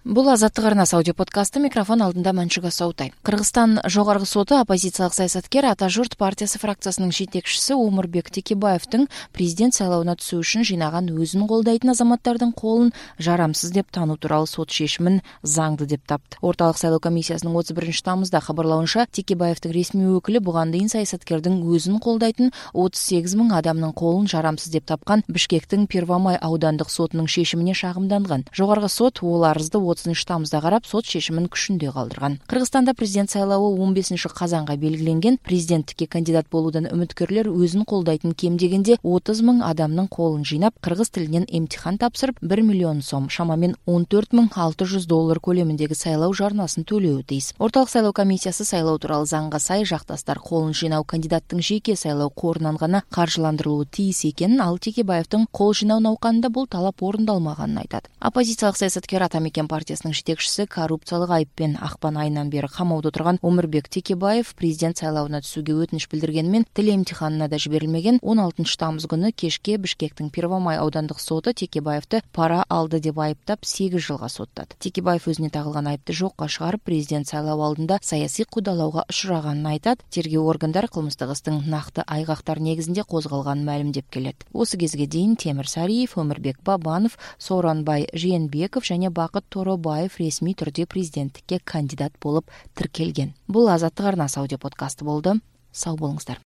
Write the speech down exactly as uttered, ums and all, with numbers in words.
Бул Азаттык арнасы аудио подкасты. Микрофон алдында Манчуга Саутай. Кыргызстан жогорку соту оппозициялык саясаткер Ата журт партиясы фракциясынын жетекчиси Омурбек Текебаевдин президент шайлоона түсүү үчүн жыйнаган өзүн колдойтун азаматтардын колун жарамсыз деп таануу тууралуу сот чечимин заңдуу деп тапты. Орталык шайлоо комиссиясынын отуз биринчи тамызда кабарлауынча, Текебаевдин ресмий өкүлү буга дейин саясаткердин өзүн колдойтун отуз сегиз миң адамдын колун жарамсыз деп тапкан Бишкектин Первомай аудандык сотунун чечимине шагымданган. Жогорку сот бул арызды отузунчу тамызда карап, сот чечимин күчүндө калтырган. Кыргызстанда президент шайлообу он бешинчи казанга белгиленген. Президенттикке кандидат болуудан үмүткөрлөр өзүн колдойтун кем дегенде отуз миң адамдын колун жыйнап, кыргыз тилинен эмтихан тапшырып, бир миллион сом, шамамен он төрт миң алты жүз доллар көлөмүндөгү шайлоо жарнасын төлөө тийиз. Орталык шайлоо комиссиясы шайлоо тууралуу заңга сай жакташтар колун жыйноо кандидаттын жеке шайлоо корунан гана каржыландырылуу тийиз экенин, ал Текебаевдин кол жыйноо науканында бул талап орундалмаганын айтат. Оппозициялык саясаткер Ата Мекен партиясынын жетекчиси коррупциялык айыппен акпан айынан бери камаудо турган Омурбек Текебаев президент шайлоона түсүүгө өтүнүч билдиргенмен, тил эмтиханына да жиберилмеген. он алтынчы тамыз күнү кечке Бишкектин Первомай аудандык соту Текебаевди пара алды деп айыптап сегиз жылга соттады. Текебаев өзүнө тагылган айыпты жокко чыгарып, президент шайлоо алдында саясий кудалоого учураганын айтат. Тергөө органдары кылмыштык истин накты айгактар негизинде козголганын маалимдеп келет. Осы кезге дейин Темир Сариев, Өмүрбек Бабанов, Сооронбай Жээнбеков жана Бакыт Торобаев ресмий түрдө президенттикке кандидат болуп тиркелген. Бул Азаттык арнасы аудио подкасты болду. Сау болуңуздар.